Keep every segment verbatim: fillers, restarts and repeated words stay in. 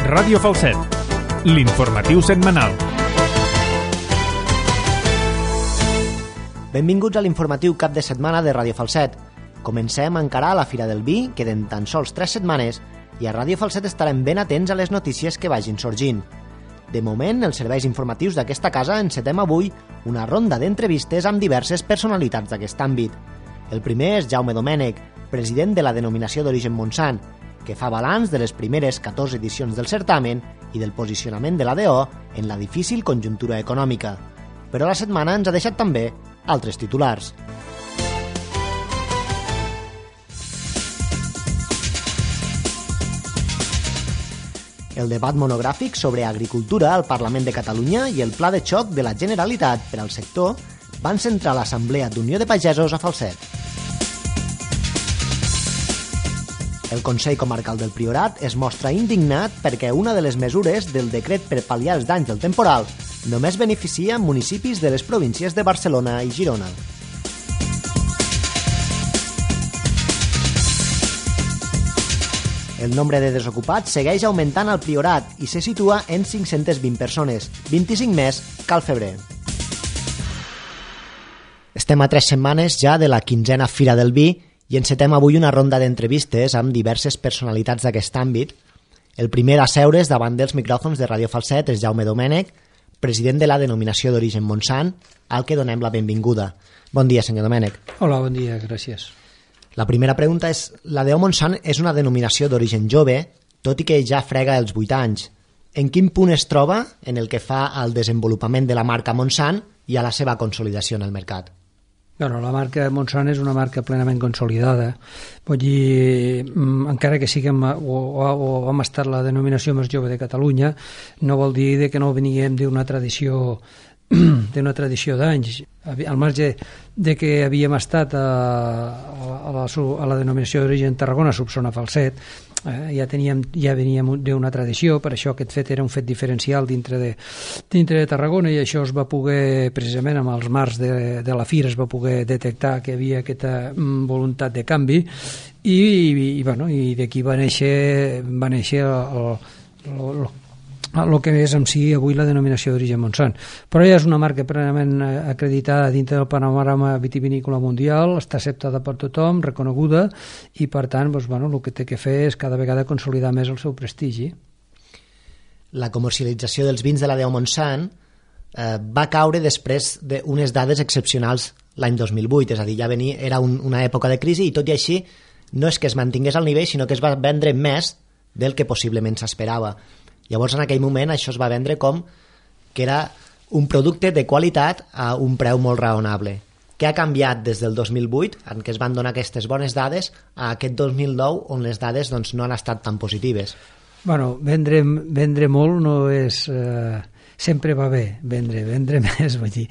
Ràdio Falset, l'informatiu setmanal. Benvinguts a l'informatiu cap de setmana de Ràdio Falset. Comencem a encarar la Fira del Vi, queden tan sols tres setmanes, i a Ràdio Falset estarem ben atents a les notícies que vagin sorgint. De moment, els serveis informatius d'aquesta casa encetem avui una ronda d'entrevistes amb diverses personalitats d'aquest àmbit. El primer és Jaume Domènech, president de la denominació d'origen Montsant, que fa balanç de les primeres catorze edicions del certamen i del posicionament de l'A D O en la difícil conjuntura econòmica. Però la setmana ens ha deixat també altres titulars. El debat monogràfic sobre agricultura al Parlament de Catalunya i el pla de xoc de la Generalitat per al sector van centrar l'Assemblea d'Unió de Pagesos a Falset. El Consell Comarcal del Priorat es mostra indignat perquè una de les mesures del decret per pal·liar els danys del temporal només beneficia municipis de les províncies de Barcelona i Girona. El nombre de desocupats segueix augmentant al Priorat i se situa en cinc-centes vint persones, vint-i-cinc més que al febrer. Estem a tres setmanes ja de la quinzena Fira del Vi i encetem avui una ronda d'entrevistes amb diverses personalitats d'aquest àmbit. El primer a seure's davant dels micròfons de Ràdio Falset és Jaume Domènech, president de la denominació d'origen Montsant, al que donem la benvinguda. Bon dia, senyor Domènech. Hola, bon dia, gràcies. La primera pregunta és, la D O Montsant és una denominació d'origen jove, tot i que ja frega els vuit anys. En quin punt es troba en el que fa al desenvolupament de la marca Montsant i a la seva consolidació en el mercat? Bueno, la marca Montsant és una marca plenament consolidada. Vull dir, encara que siguem o, o, o hem estat la denominació més jove de Catalunya, no vol dir que no veníem d'una tradició d'una tradició d'anys. Al marge de que havíem estat a, a, la, a la denominació d'origen Tarragona, Solsona Falset, eh, ja, teníem, ja veníem d'una tradició, per això aquest fet era un fet diferencial dintre de, dintre de Tarragona, i això es va poder, precisament amb els marcs de, de la Fira, es va poder detectar que hi havia aquesta voluntat de canvi, i, i, i, bueno, i d'aquí va néixer, va néixer el, el, el el que és en si avui la denominació d'origen Montsant. Però ja és una marca plenament acreditada dintre del panorama vitivinícola mundial, està acceptada per tothom, reconeguda, i per tant, doncs, bueno, el que té que fer és cada vegada consolidar més el seu prestigi. La comercialització dels vins de la D O Montsant eh, va caure després d'unes dades excepcionals l'any dos mil vuit, és a dir, ja venia, era un, una època de crisi, i tot i així no és que es mantingués al nivell, sinó que es va vendre més del que possiblement s'esperava. Llavors, en aquell moment, això es va vendre com que era un producte de qualitat a un preu molt raonable. Què ha canviat des del dos mil vuit, en què es van donar aquestes bones dades, a aquest dos mil nou, on les dades doncs, no han estat tan positives? Bueno, vendre, vendre molt no és... Eh, sempre va bé vendre, vendre més, vull dir.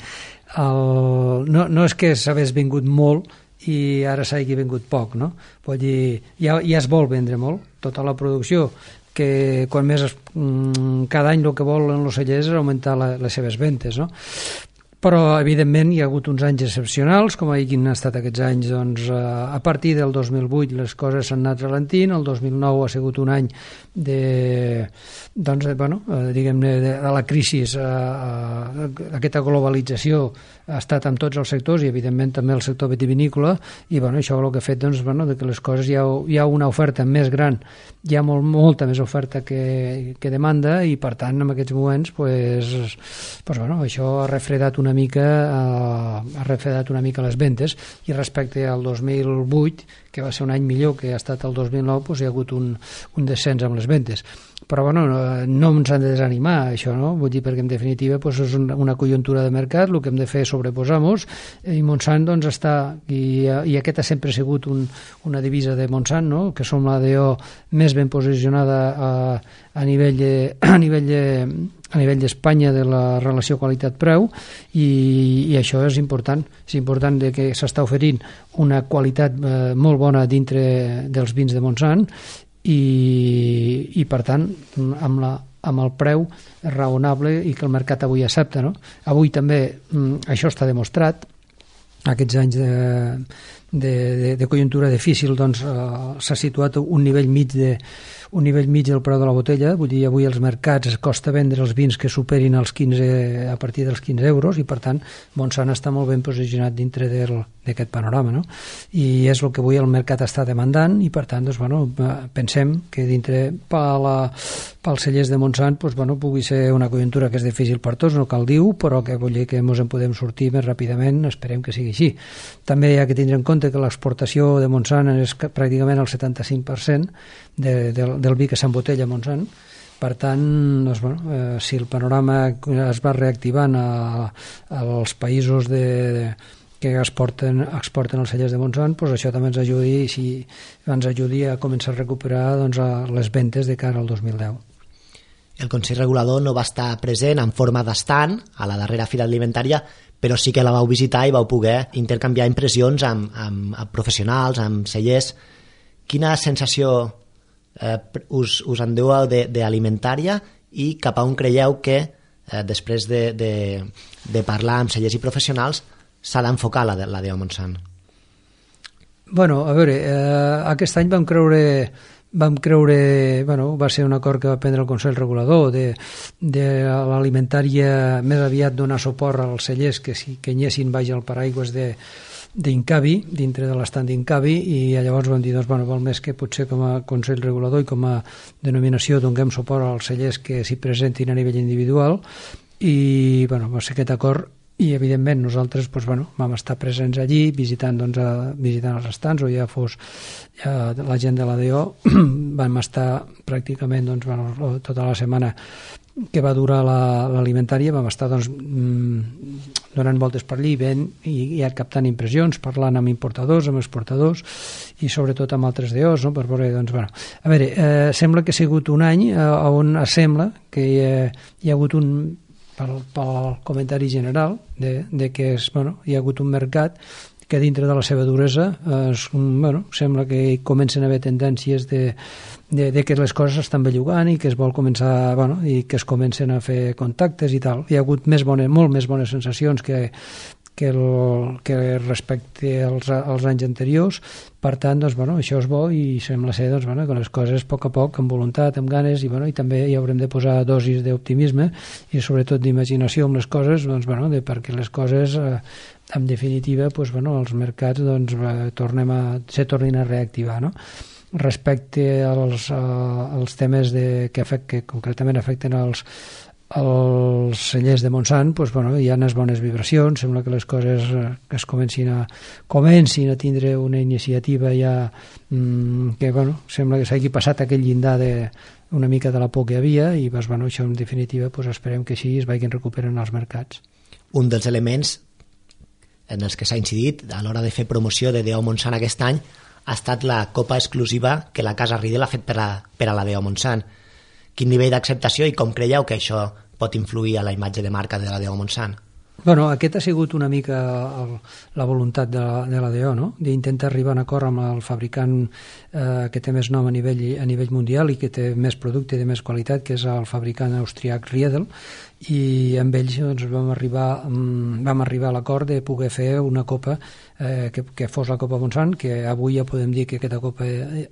El, no, no és que s'hagués vingut molt i ara s'hagi vingut poc, no? Vull dir, ja, ja es vol vendre molt, tota la producció, que quan més es, cada any el que volen els cellers és augmentar la, les seves ventes, no? Però evidentment hi ha hagut uns anys excepcionals, com han estat aquests anys, doncs, a partir del dos mil vuit les coses s'han anat ralentint, el dos mil nou ha sigut un any de, doncs, bueno, diguem-ne, de, de la crisi, aquesta globalització ha estat amb tots els sectors i evidentment també el sector vitivinícola, i bueno, això el que ha fet, doncs, bueno, de que les coses hi ha, hi ha una oferta més gran, hi ha molt, molta més oferta que, que demanda, i per tant en aquests moments pues, pues, bueno, això ha refredat una mica eh, ha refredat una mica les ventes, i respecte al dos mil vuit, que va ser un any millor que ha estat el dos mil nou, doncs hi ha hagut un, un descens amb les ventes. Però bueno, no, no ens han de desanimar això, no? Vull dir, perquè en definitiva doncs, és una, una conjuntura de mercat, el que hem de fer és sobreposar-nos, i Montsant doncs està, i, i aquesta sempre ha sigut un, una divisa de Montsant, no? Que som la D O més ben posicionada a, a nivell de, a nivell de, a nivell d'Espanya de la relació qualitat-preu, i, i això és important, és important de que s'està oferint una qualitat eh, molt bona dintre dels vins de Montsant, i, i per tant amb, la, amb el preu raonable i que el mercat avui accepta, no? Avui també mm, això està demostrat, aquests anys de, de, de, de conjuntura difícil, doncs eh, s'ha situat un nivell mig de un nivell mig del preu de la botella, vull dir, avui als mercats es costa vendre els vins que superin els quinze, a partir dels quinze euros, i per tant Montsant està molt ben posicionat dintre d'aquest panorama, no? I és el que avui el mercat està demandant, i per tant, doncs, bueno, pensem que dintre pels cellers de Montsant, doncs, bueno, pugui ser una conjuntura que és difícil per tots, no cal dir-ho, però que vull dir que ens en podem sortir més ràpidament, esperem que sigui així. També hi ha que tindre en compte que l'exportació de Montsant és pràcticament el setanta-cinc per cent de, de, del vi que s'embotella a Montsant. Per tant, doncs, bueno, eh, si el panorama es va reactivant a, als països de, de, que exporten, exporten els cellers de Montsant, doncs això també ens ajudi, si ens ajudi a començar a recuperar, doncs, a les ventes de cara al dos mil deu. El Consell Regulador no va estar present en forma d'estand a la darrera fira alimentària, però sí que la vau visitar i vau poder intercanviar impressions amb, amb, amb professionals, amb cellers. Quina sensació eh, us, us endeu d'alimentària i cap a on creieu que eh, després de, de, de parlar amb cellers i professionals s'ha d'enfocar la, la D O Montsant? Bueno, a veure, eh, aquest any vam creure vam creure, bueno, va ser un acord que va prendre el Consell Regulador de, de l'alimentària més aviat donar suport als cellers que, si, que anyessin baix al paraigües de d'Incavi, dintre de l'estat d'Incavi, i llavors vam dir, doncs, bueno, val més que potser com a Consell Regulador i com a denominació donem suport als cellers que s'hi presentin a nivell individual, i bueno, va ser aquest acord. I evidentment nosaltres, doncs, bueno, vam estar presents allí visitant, doncs, a, visitant els estants, o ja fos ja la gent de la D O, vam estar pràcticament, doncs, bueno, tota la setmana que va durar l'alimentària, la, vam estar, doncs, donant voltes per allí, ben, i, i captant impressions, parlant amb importadors, amb exportadors, i sobretot amb altres D Os, no? Per veure, doncs, bueno, a veure, eh, sembla que ha sigut un any eh, on sembla que hi ha, hi ha hagut un pel, pel comentari general de, de que és, bueno, hi ha hagut un mercat que dintre de la seva duresa eh, bueno, sembla que comencen a haver tendències de, de, de que les coses estan bellugant i que es vol començar, bueno, i que es comencen a fer contactes i tal. Hi ha hagut més bones, molt més bones sensacions que, que, el, que respecte als, als anys anteriors. Per tant, doncs, bueno, això és bo, i sembla ser, doncs, bueno, que les coses a poc a poc, amb voluntat, amb ganes, i, bueno, i també hi haurem de posar dosis d'optimisme i sobretot d'imaginació amb les coses, doncs, bueno, de, perquè les coses eh, en definitiva, doncs, bueno, els mercats, doncs, tornem a, se tornin a reactivar, no? Respecte als, als temes de, que, afect, que concretament afecten als, als cellers de Montsant, doncs, bueno, hi ha unes bones vibracions, sembla que les coses que es comencin a, comencin a tindre una iniciativa ja mmm, que, bueno, sembla que s'hagi passat aquell llindar de, una mica de la por que hi havia, i doncs, bueno, això en definitiva doncs, esperem que així es vagin recuperant els mercats. Un dels elements en els que s'ha incidit a l'hora de fer promoció de D O Montsant aquest any ha estat la copa exclusiva que la Casa Riedel ha fet per a, per a la D O Montsant. Quin nivell d'acceptació i com creieu que això pot influir a la imatge de marca de la D O Montsant? Bueno, aquest ha sigut una mica el, la voluntat de la, de la D O, no? D'intentar arribar a un acord amb el fabricant eh, que té més nom a nivell, a nivell mundial i que té més producte de més qualitat, que és el fabricant austriac Riedel, i amb ells, doncs, vam arribar, vam arribar a l'acord de poder fer una copa eh, que, que fos la Copa Montsant, que avui ja podem dir que aquesta copa eh,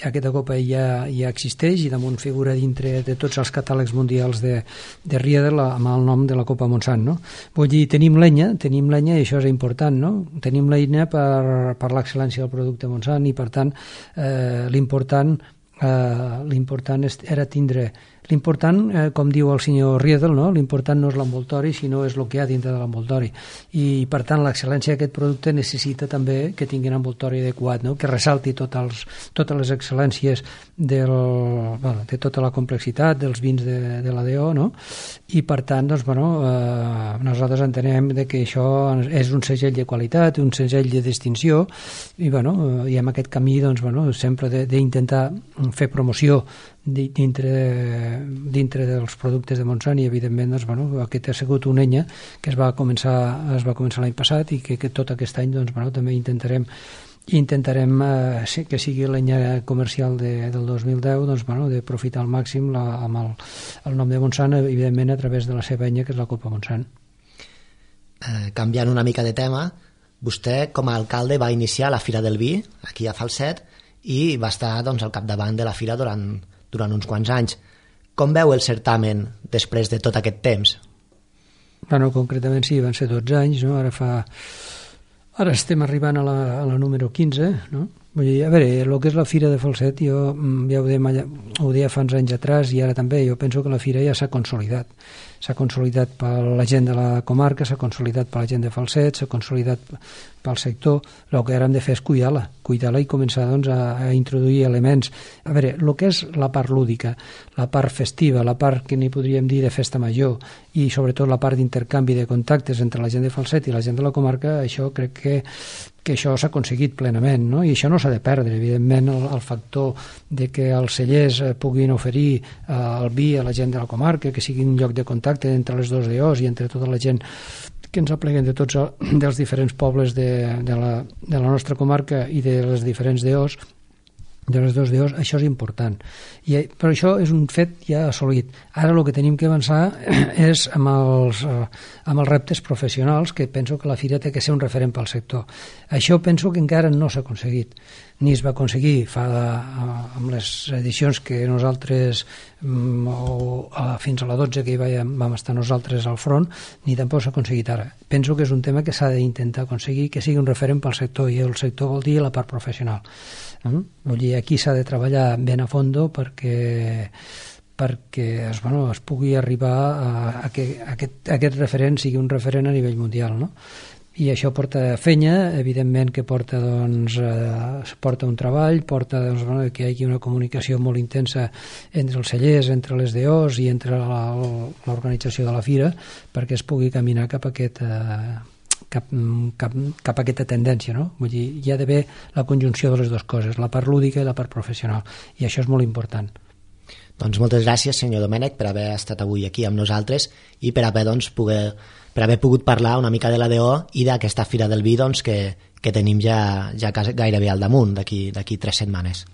aquesta copa ja, ja existeix i damunt figura dintre de tots els catàlegs mundials de, de Riedel amb el nom de la Copa Montsant, no? Vull dir, tenim l'enya, tenim l'enya i això és important, no? Tenim l'enya per, per l'excel·lència del producte Montsant, i per tant eh, l'important eh, l'important era tindre l'important, eh, com diu el senyor Riedel, no? L'important no és l'envoltori, sinó és el que hi ha dintre de l'envoltori. I, per tant, l'excel·lència d'aquest producte necessita també que tingui un envoltori adequat, no? Que ressalti tot els, totes les excel·lències del, bueno, de tota la complexitat dels vins de, de la D O, no? I, per tant, doncs, bueno, eh, nosaltres entenem de que això és un segell de qualitat, un segell de distinció, i, bueno, i en aquest camí, doncs, bueno, sempre d'intentar fer promoció dintre, dintre dels productes de Montsant, i evidentment, doncs, bueno, aquest ha sigut una enya que es va començar, es va començar l'any passat, i que, que tot aquest any, doncs, bueno, també intentarem intentarem eh, que sigui l'enya comercial de, del dos mil deu, doncs, bueno, d'aprofitar al màxim la, amb el, el nom de Montsant, evidentment a través de la seva enya, que és la Copa Montsant. Eh, canviant una mica de tema, Vostè, com a alcalde, va iniciar la Fira del Vi, aquí a Falset, i va estar doncs, al capdavant de la fira durant, durant uns quants anys. Com veu el certamen després de tot aquest temps? Bueno, concretament sí, van ser dotze anys, no? Ara fa... Ara estem arribant a la, a la número quinze, no? Vull dir, a veure, el que és la Fira de Falset, jo ja ho deia, ho deia fa uns anys atrás i ara també, jo penso que la Fira ja s'ha consolidat. S'ha consolidat per la gent de la comarca, s'ha consolidat per la gent de Falset, s'ha consolidat pel sector. El que ara hem de fer és cuidar-la, cuidar-la i començar doncs, a, a introduir elements. A veure, el que és la part lúdica, la part festiva, la part que n'hi podríem dir de festa major i sobretot la part d'intercanvi de contactes entre la gent de Falset i la gent de la comarca, això crec que que això s'ha aconseguit plenament, no? I això no s'ha de perdre, evidentment el, el factor de que els cellers puguin oferir eh, el vi a la gent de la comarca, que sigui un lloc de contacte entre les dues D Os i entre tota la gent que ens apleguen de tots dels diferents pobles de, de, la, de la nostra comarca i de les diferents D Os, de les dues D Os, això és important. I, però això és un fet ja assolit. Ara el que tenim que avançar és amb els, eh, amb els reptes professionals, que penso que la Fira té que ser un referent pel sector. Això penso que encara no s'ha aconseguit. Ni es va aconseguir fa, amb les edicions que nosaltres, o, a, fins a la dotze que hi vam, vam estar nosaltres al front, ni tampoc s'ha aconseguit ara. Penso que és un tema que s'ha d'intentar aconseguir, que sigui un referent pel sector, i el sector vol dir la part professional. Mm? Vull dir, aquí s'ha de treballar ben a fondo perquè perquè es, bueno, es pugui arribar a, a que aquest, aquest referent sigui un referent a nivell mundial, no? I això porta fenya, evidentment que porta, doncs, eh, porta un treball, porta doncs, bueno, que hi hagi una comunicació molt intensa entre els cellers, entre les D Os i entre l'organització de la fira, perquè es pugui caminar cap a aquest... Eh, Cap, cap, cap a aquesta tendència, no? Vull dir, hi ha d'haver la conjunció de les dues coses, la part lúdica i la part professional, i això és molt important. Doncs moltes gràcies, senyor Domènech, per haver estat avui aquí amb nosaltres i per haver, doncs, poder, per haver pogut parlar una mica de la D O i d'aquesta Fira del Vi, doncs, que, que tenim ja, ja gairebé al damunt, d'aquí d'aquí tres setmanes.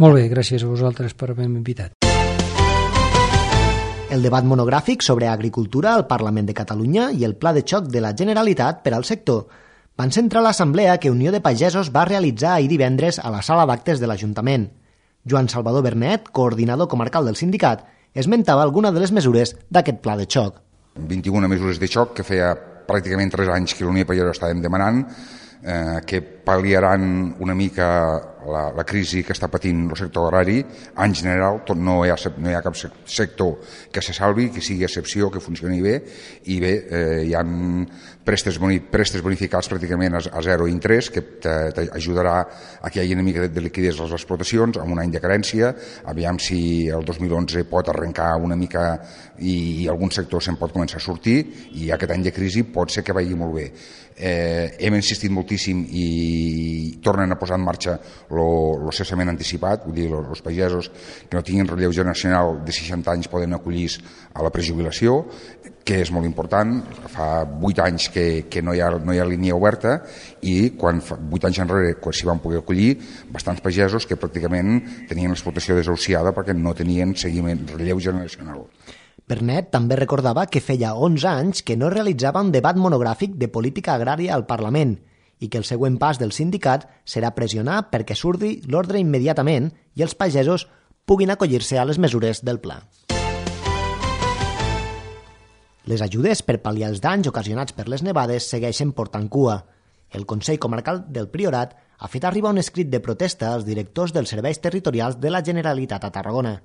Molt bé, gràcies a vosaltres per haver-me invitat. El debat monogràfic sobre agricultura al Parlament de Catalunya i el pla de xoc de la Generalitat per al sector van centrar l'assemblea que Unió de Pagesos va realitzar ahir divendres a la sala d'actes de l'Ajuntament. Joan Salvador Bernet, coordinador comarcal del sindicat, esmentava alguna de les mesures d'aquest pla de xoc. vint-i-una mesures de xoc que feia pràcticament tres anys que l'Unió de Pagesos estàvem demanant, eh, que pal·liaran una mica la, la crisi que està patint el sector agrari. En general, tot, no, hi ha, no hi ha cap sector que se salvi, que sigui excepció, que funcioni bé, i bé, eh, hi ha prestes, boni, prestes bonificats pràcticament a, a zero interès, que t'ajudarà a que hi hagi una mica de, de liquiditat a les explotacions, amb un any de carència, aviam si el dos mil onze pot arrencar una mica i, i algun sector se'n pot començar a sortir, i aquest any de crisi pot ser que vagi molt bé. Eh, hem insistit moltíssim i tornen a posar en marxa el cessament anticipat, vull dir, els pagesos que no tinguin relleu generacional de seixanta anys poden acollir a la prejubilació, que és molt important. Fa vuit anys que, que no, hi ha, no hi ha línia oberta, i quan fa vuit anys enrere, quan s'hi van poder acollir, bastants pagesos que pràcticament tenien l'explotació desahuciada perquè no tenien seguiment, relleu generacional. Bernet també recordava que feia onze anys que no realitzava un debat monogràfic de política agrària al Parlament i que el següent pas del sindicat serà pressionar perquè surti l'ordre immediatament i els pagesos puguin acollir-se a les mesures del pla. Les ajudes per pal·liar els danys ocasionats per les nevades segueixen portant cua. El Consell Comarcal del Priorat ha fet arribar un escrit de protesta als directors dels serveis territorials de la Generalitat a Tarragona.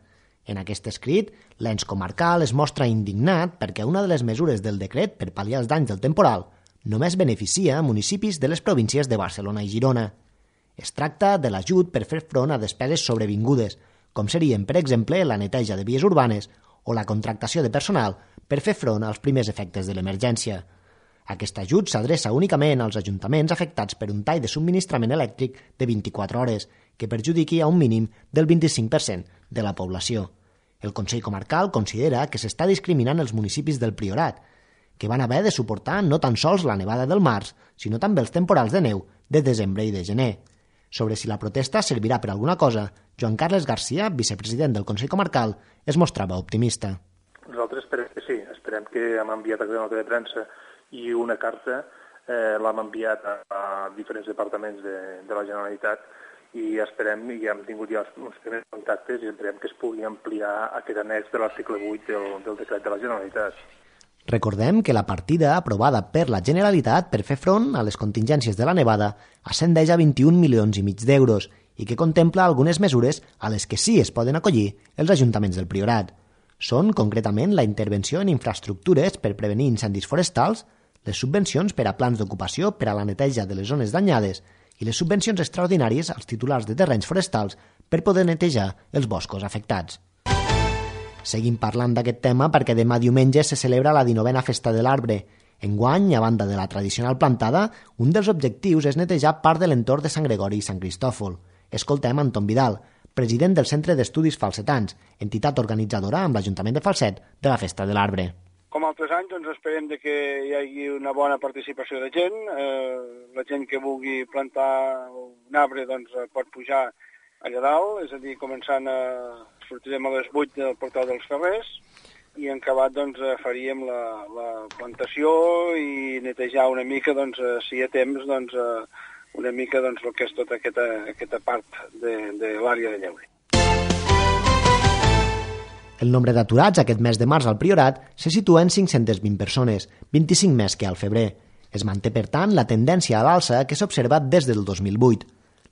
En aquest escrit, l'ens comarcal es mostra indignat perquè una de les mesures del decret per pal·liar els danys del temporal només beneficia municipis de les províncies de Barcelona i Girona. Es tracta de l'ajut per fer front a despeses sobrevingudes, com serien, per exemple, la neteja de vies urbanes o la contractació de personal per fer front als primers efectes de l'emergència. Aquest ajut s'adreça únicament als ajuntaments afectats per un tall de subministrament elèctric de vint-i-quatre hores, que perjudiqui a un mínim del vint-i-cinc per cent de la població. El Consell Comarcal considera que s'està discriminant els municipis del Priorat, que van haver de suportar no tan sols la nevada del març, sinó també els temporals de neu de desembre i de gener. Sobre si la protesta servirà per alguna cosa, Joan Carles Garcia, vicepresident del Consell Comarcal, es mostrava optimista. Nosaltres esperem que sí, esperem que hem enviat a la nota de premsa i una carta eh, l'hem enviat a, a diferents departaments de, de la Generalitat i esperem, i hem tingut ja uns primers contactes i esperem que es pugui ampliar aquest annex de l'article vuit del, del decret de la Generalitat. Recordem que la partida aprovada per la Generalitat per fer front a les contingències de la nevada ascendeix a vint-i-un milions i mig d'euros i que contempla algunes mesures a les que sí es poden acollir els ajuntaments del Priorat. Són, concretament, la intervenció en infraestructures per prevenir incendis forestals, les subvencions per a plans d'ocupació per a la neteja de les zones danyades i les subvencions extraordinàries als titulars de terrenys forestals per poder netejar els boscos afectats. Seguim parlant d'aquest tema perquè demà diumenge se celebra la dinovena Festa de l'Arbre. Enguany, a banda de la tradicional plantada, un dels objectius és netejar part de l'entorn de Sant Gregori i Sant Cristòfol. Escoltem Anton Vidal, president del Centre d'Estudis Falsetans, entitat organitzadora amb l'Ajuntament de Falset de la Festa de l'Arbre. Com altres anys, doncs esperem de que hi hagi una bona participació de gent. Eh, la gent que vulgui plantar un arbre doncs, pot pujar allà dalt, és a dir, començant a... sortirem a les vuit del portal dels Ferrers i en acabat doncs, faríem la, la plantació i netejar una mica, doncs, si hi ha temps, doncs, una mica doncs, el que és tota aquesta, aquesta part de, de l'àrea de Lleure. El nombre d'aturats aquest mes de març al Priorat se situa en cinc-centes vint persones, vint-i-cinc més que al febrer. Es manté, per tant, la tendència a l'alça que s'ha observat des del dos mil vuit.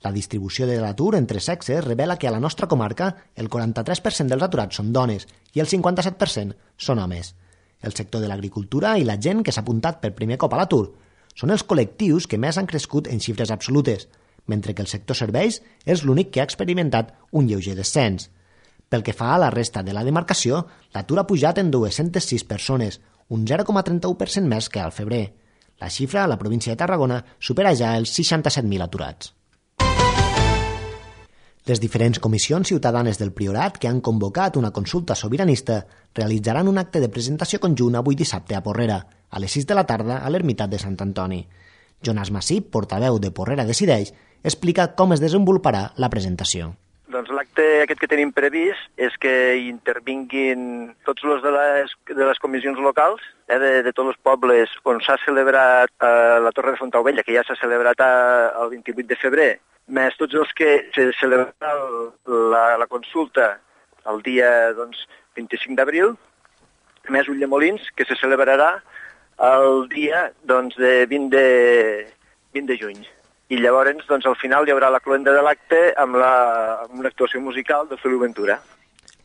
La distribució de l'atur entre sexes revela que a la nostra comarca el quaranta-tres per cent dels aturats són dones i el cinquanta-set per cent són homes. El sector de l'agricultura i la gent que s'ha apuntat per primer cop a l'atur són els col·lectius que més han crescut en xifres absolutes, mentre que el sector serveis és l'únic que ha experimentat un lleuger descens. Pel que fa a la resta de la demarcació, l'atur ha pujat en dues-centes sis persones, un zero coma trenta-u per cent més que al febrer. La xifra a la província de Tarragona supera ja els seixanta-set mil aturats. Les diferents comissions ciutadanes del Priorat que han convocat una consulta sobiranista realitzaran un acte de presentació conjunt avui dissabte a Porrera, a les sis de la tarda a l'Ermitat de Sant Antoni. Jonas Massip, portaveu de Porrera Decideix, explica com es desenvoluparà la presentació. Doncs l'acte aquest que tenim previst és que intervinguin tots els de les, de les comissions locals, eh, de, de tots els pobles on s'ha celebrat eh, la Torre de Fontaubella, que ja s'ha celebrat a, el vint-i-vuit de febrer, més tots els que se celebrarà la, la consulta el dia doncs, vint-i-cinc d'abril, més Ulldemolins, que se celebrarà el dia doncs, de vint de juny. I llavors, doncs, al final hi haurà la cloenda de l'acte amb, la, amb una actuació musical de Feliu Ventura.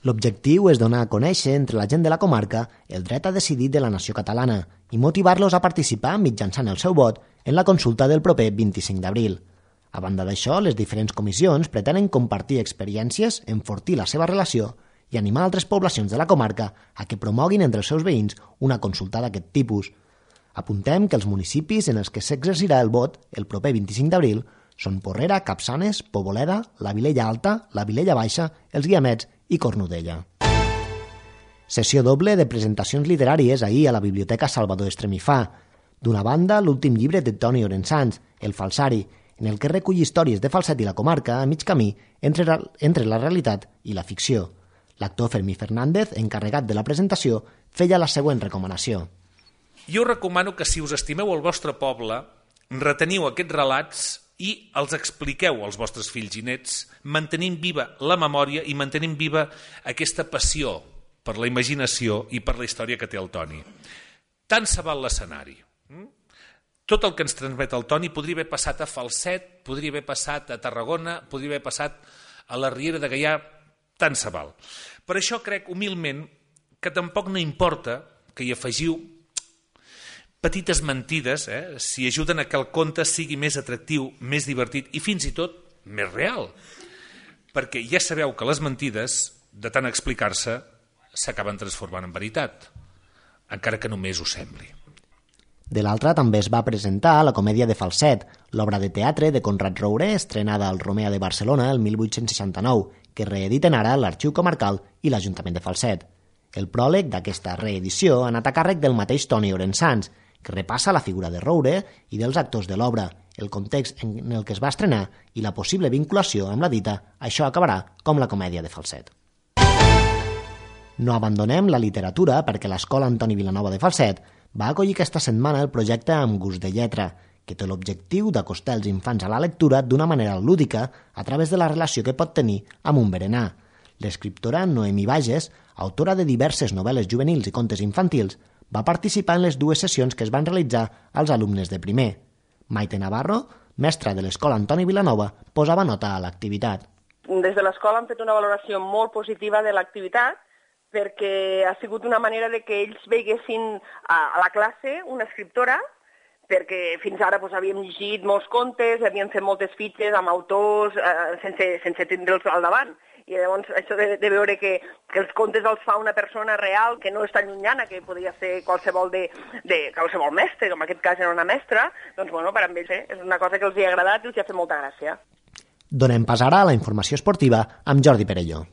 L'objectiu és donar a conèixer entre la gent de la comarca el dret a decidir de la nació catalana i motivar-los a participar mitjançant el seu vot en la consulta del proper vint-i-cinc d'abril. A banda d'això, les diferents comissions pretenen compartir experiències, enfortir la seva relació i animar altres poblacions de la comarca a que promoguin entre els seus veïns una consulta d'aquest tipus. Apuntem que els municipis en els que s'exercirà el vot el proper vint-i-cinc d'abril són Porrera, Capçanes, Poboleda, la Vilella Alta, la Vilella Baixa, els Guiamets i Cornudella. Sessió doble de presentacions literàries ahir a la Biblioteca Salvador Estremifà. D'una banda, l'últim llibre de Toni Orensanz, El Falsari, en el que recull històries de Falset i la comarca a mig camí entre, entre la realitat i la ficció. L'actor Fermí Fernández, encarregat de la presentació, feia la següent recomanació. Jo recomano que si us estimeu el vostre poble, reteniu aquests relats i els expliqueu als vostres fills i nets, mantenint viva la memòria i mantenint viva aquesta passió per la imaginació i per la història que té el Toni. Tant se val l'escenari. Tot el que ens transmet el Toni podria haver passat a Falset, podria haver passat a Tarragona, podria haver passat a la Riera de Gaià, tant se val. Per això crec humilment que tampoc no importa que hi afegiu petites mentides, eh, si ajuden a que el conte sigui més atractiu, més divertit i fins i tot més real. Perquè ja sabeu que les mentides, de tant explicar-se, s'acaben transformant en veritat, encara que només ho sembli. De l'altra també es va presentar la comèdia de Falset, l'obra de teatre de Conrad Roure, estrenada al Romea de Barcelona el mil vuit-cents seixanta-nou, que reediten ara l'Arxiu Comarcal i l'Ajuntament de Falset. El pròleg d'aquesta reedició ha anat a càrrec del mateix Toni Orensanz, que repassa la figura de Roure i dels actors de l'obra, el context en el que es va estrenar i la possible vinculació amb la dita «Això acabarà com la comèdia de Falset». No abandonem la literatura perquè l'Escola Antoni Vilanova de Falset va acollir aquesta setmana el projecte Amb gust de lletra, que té l'objectiu d'acostar els infants a la lectura d'una manera lúdica a través de la relació que pot tenir amb un berenar. L'escriptora Noemí Bages, autora de diverses novel·les juvenils i contes infantils, va participar en les dues sessions que es van realitzar als alumnes de primer. Maite Navarro, mestra de l'Escola Antoni Vilanova, posava nota a l'activitat. Des de l'escola han fet una valoració molt positiva de l'activitat perquè ha sigut una manera de que ells veiguessin a la classe una escriptora, perquè fins ara doncs, havíem llegit molts contes, havíem fet moltes fitxes amb autors eh, sense, sense tindre'ls al davant. I llavors això de, de veure que, que els contes els fa una persona real, que no és tan llunyana, que podria ser qualsevol, de, de, qualsevol mestre, com en aquest cas era una mestra, doncs bueno, per a ells eh, és una cosa que els hi ha agradat i els hi ha fet molta gràcia. Donem pas ara a la informació esportiva amb Jordi Perelló.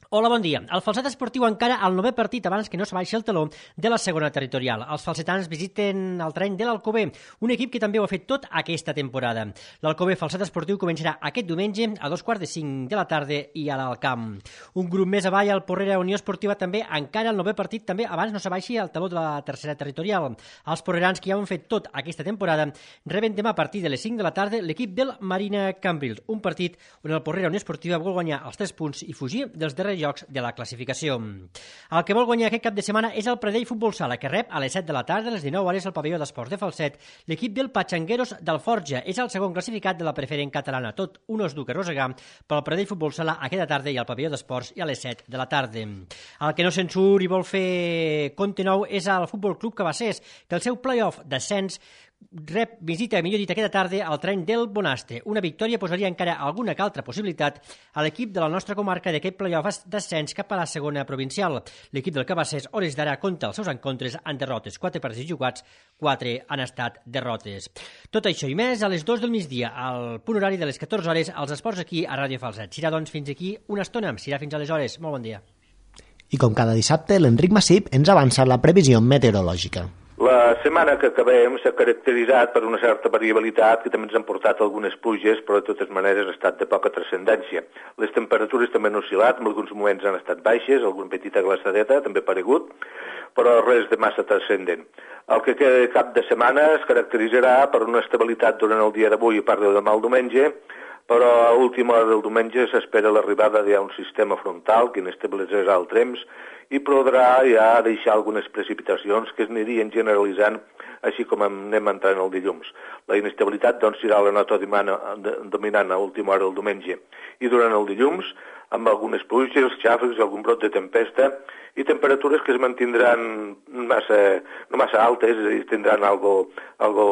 Hola, bon dia. El Falset esportiu encara al novè partit abans que no s'abaixi el taló de la segona territorial. Els falsetans visiten el terreny de l'Alcover, un equip que també ho ha fet tot aquesta temporada. L'Alcover Falset esportiu començarà aquest diumenge a dos quarts de cinc de la tarda i a l'Alcamp. Un grup més avall, el Porrera Unió Esportiva, també encara al novè partit també abans no s'abaixi el taló de la tercera territorial. Els porrerans que ja ho han fet tot aquesta temporada reben demà a partir de les cinc de la tarda l'equip del Marina Cambrils, un partit on el Porrera Unió Esportiva vol guanyar els tres punts i fugir dels darrers llocs de la classificació. El que vol guanyar aquest cap de setmana és el Pradell Futbol Sala, que rep a les set de la tarda, a les dinou hores, al pavelló d'esports de Falset, l'equip del Patxangueros d'Alforja. És el segon classificat de la preferent catalana, tot un osduc a rosegar pel Pradell Futbol Sala aquesta tarda i al pavelló d'esports i a les set de la tarda. El que no se'n surt i vol fer compte nou és el Futbol Club Cabassers, que el seu play-off d'ascens rep visita, millor dit, aquesta tarda al terreny del Bonastre. Una victòria posaria encara alguna que altra possibilitat a l'equip de la nostra comarca d'aquest play-off d'ascens cap a la segona provincial. L'equip del Cabassers, hores d'ara, compta els seus encontres en derrotes. Quatre partits jugats, quatre han estat derrotes. Tot això i més a les dues del migdia, al punt horari de les catorze hores, als esports aquí a Ràdio Falset. Serà, doncs, fins aquí una estona. Serà fins aleshores. Molt bon dia. I com cada dissabte, l'Enric Massip ens avança la previsió meteorològica. La setmana que acabem s'ha caracteritzat per una certa variabilitat que també ens han portat algunes pluges, però de totes maneres ha estat de poca transcendència. Les temperatures també han oscil·lat, en alguns moments han estat baixes, alguna petita glaçadeta també ha aparegut, però res de massa transcendent. El que queda de cap de setmana es caracteritzarà per una estabilitat durant el dia d'avui i part de demà al diumenge, però a última hora del diumenge s'espera l'arribada d'un sistema frontal que inestabilitzarà el temps i podrà ja deixar algunes precipitacions que es anirien generalitzant així com anem entrant el dilluns. La inestabilitat doncs serà la nota dominant a última hora del diumenge i durant el dilluns amb algunes pluges, xàfecs, algun brot de tempesta i temperatures que es mantindran massa, no massa altes, i tindran algo, algo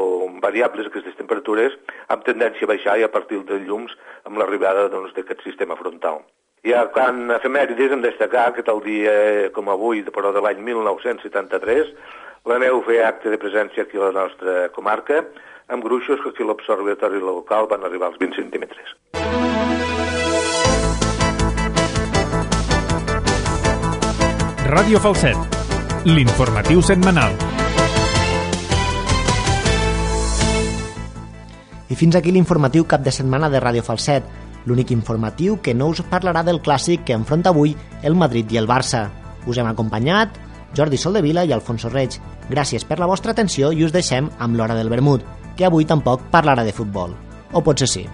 variables aquestes temperatures, amb tendència a baixar i a partir del dilluns amb l'arribada doncs, d'aquest sistema frontal. I a quan efemèrides hem destacar que tal dia com avui, però de l'any mil nou-cents setanta-tres, la neu feia acte de presència aquí a la nostra comarca, amb gruixos que aquí a l'observatori local van arribar als vint centímetres. Ràdio Falset, l'informatiu setmanal. I fins aquí l'informatiu cap de setmana de Ràdio Falset, l'únic informatiu que no us parlarà del clàssic que enfronta avui el Madrid i el Barça. Us hem acompanyat Jordi Soldevila i Alfonso Reig. Gràcies per la vostra atenció i us deixem amb l'Hora del Vermut, que avui tampoc parlarà de futbol. O potser sí.